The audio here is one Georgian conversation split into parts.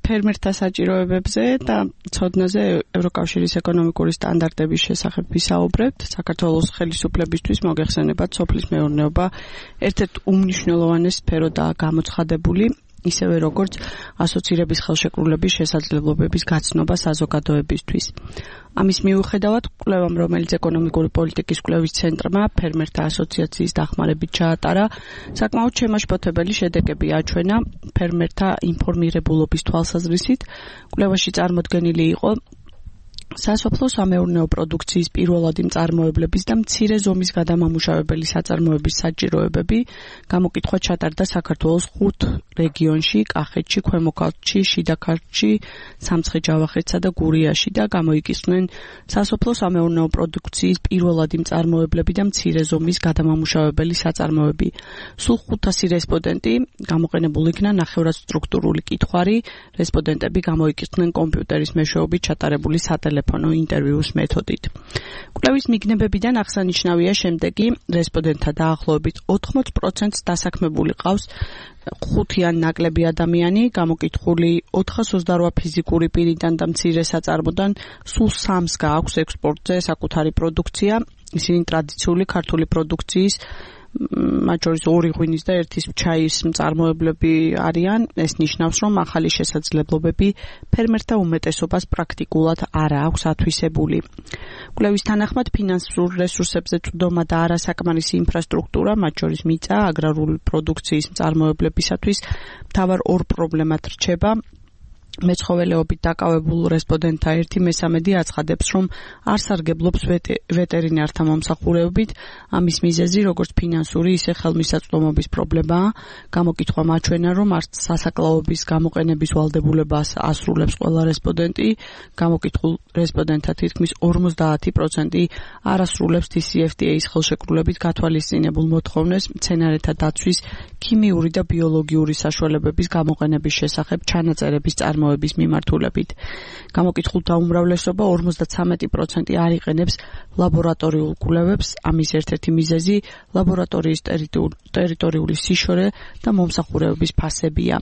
ფერმერთა საჭიროებებზე და ცოდნაზე ევროკავშირის ეკონომიკური სტანდარტების შესახებ ვისაუბრებთ. საქართველოს ხელისუფლებისთვის მოგეხსენებათ, სოფლის მეურნეობა ერთ-ერთ უმნიშვნელოვანეს სფეროდაა გამოცხადებული, ისევე როგორც ასოცირების ხელშეკრულების შესაძლებლობების გაცნობა საზოგადოებისთვის. ამის მიუხედავად, კვლევამ, რომელიც ეკონომიკური პოლიტიკის კვლევის ცენტრმა ფერმერთა ასოციაციის დახმარებით ჩაატარა, საკმაოდ შემაშფოთებელი შედეგები აჩვენა ფერმერთა ინფორმირებულობის თვალსაზრისით. კვლევაში წარმოდგენილი იყო სასოფლო-სამეურნეო პროდუქციის პირველადი მწარმოებლების და მცირე ზომის გადამამუშავებელი საწარმოების საჭიროებები. გამოკითხვა ჩატარდა საქართველოს 5 რეგიონში: კახეთში, ქვემო ქართლში, შიდა ქართლში, სამცხე-ჯავახეთსა და გურიაში და გამოიკისრნენ სასოფლო-სამეურნეო პროდუქციის პირველადი მწარმოებლები და მცირე ზომის გადამამუშავებელი საწარმოები. სულ 500 რესპონდენტი გამოყენებულ იქნა ნახევრად სტრუქტურული კითხვარი. რესპონდენტები გამოიკისრნენ კომპიუტერის მეშვეობით ჩატარებული სატელეფონო ინტერვიუს მეთოდით. კვლევის მიგნებებიდან აღსანიშნავია შემდეგი: რესპონდენტთა დაახლოებით 80%-ს დასაქმებული ყავს 5 ან ნაკლები ადამიანი, გამოკითხული 428 ფიზიკური პირიდან და მცირე საწარმოდან სულ 3-ს გააქვს ექსპორტზე საკუთარი პროდუქცია. ისინი ტრადიციული ქართული პროდუქციის, მათ შორის 2 ღვინის და 1 ჩაის მწარმოებლები არიან. ეს ნიშნავს, რომ ახალი შესაძლებლობები ფერმერთა უმეტესობას პრაქტიკულად არ აქვს ათვისებული. კვლევის თანახმად, ფინანსურ რესურსებზე წვდომა და არასაკმარისი ინფრასტრუქტურა, მათ შორის მიწა, აგრარული პროდუქციის მწარმოებლებისათვის მთავარ 2 პრობლემად რჩება. მეცხოველეობით დაკავებულ რესპონდენტთა 1/3 აცხადებს, რომ არ სარგებლობს ვეტერინართა მომსახურებით. ამის მიზეზი როგორც ფინანსური, ისე ხელმისაწვდომობის პრობლემაა. გამოკითხვამ აჩვენა, რომ არც სასაკლაობის გამოყენების ვალდებულებას ასრულებს ყველა რესპონდენტი. გამოკითხულ რესპონდენტთა თითქმის 50% არ ასრულებს TCFTA-ის ხელშეკრულებით გათვალისწინებულ მოთხოვნებს მცენარეთა დაცვის, ქიმიური და ბიოლოგიური საშუალებების გამოყენების შესახებ ჩანაწერების წარმოების მიმართულებით. გამოკითხულთა უმრავლესობა 53% არ იყენებს ლაბორატორიულ კვლევებს. ამის ერთ-ერთი მიზეზი ლაბორატორიის ტერიტორიული სიშორე და მომსახურებების ფასებია.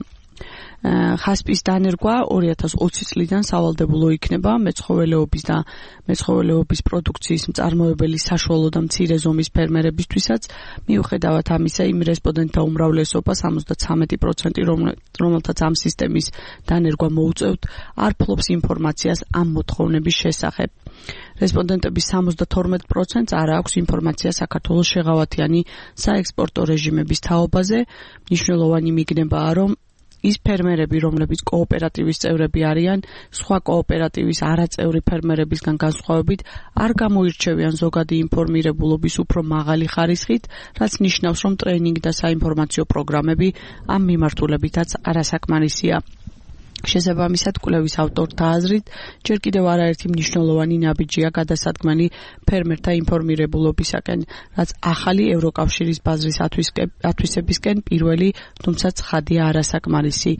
ხასპის დანერგვა 2020 წლიდან სავალდებულო იქნება მეცხოველეობის და მეცხოველეობის პროდუქციის მწარმოებელი საშუალო და მცირე ზომის ფერმერებისთვისაც. მიუხედავად ამისა, იმ რესპონდენტთა უმრავლესობა 73%, რომელთაც ამ სისტემის დანერგვა მოუწევთ, არ ფლობს ინფორმაციას ამ მოთხოვნების შესახებ. რესპონდენტების 72%-ს არ აქვს ინფორმაცია საქართველოს შეღავათიანი საექსპორტო რეჟიმების თაობაზე. მნიშვნელოვანი მიგნებაა, რომ ის ფერმერები, რომლებიც კოოპერატივის წევრები არიან, სხვა კოოპერატივის არაწევრი ფერმერებისგან განსხვავებით, არ გამოირჩევიან ზოგადი ინფორმირებულობის უფრო მაღალი ხარისხით, რაც ნიშნავს, რომ ტრეინინგი და საინფორმაციო პროგრამები ამ მიმართულებითაც არასაკმარისია. შესაბამისად, კვლევის ავტორთა აზრით, ჯერ კიდევ არაერთი მნიშვნელოვანი ნაბიჯია გადასადგმელი ფერმერთა ინფორმირებულობისაკენ, რაც ახალი ევროკავშირის ბაზრის ათვისებისკენ პირველი, თუმცა ცხადია არასაკმარისი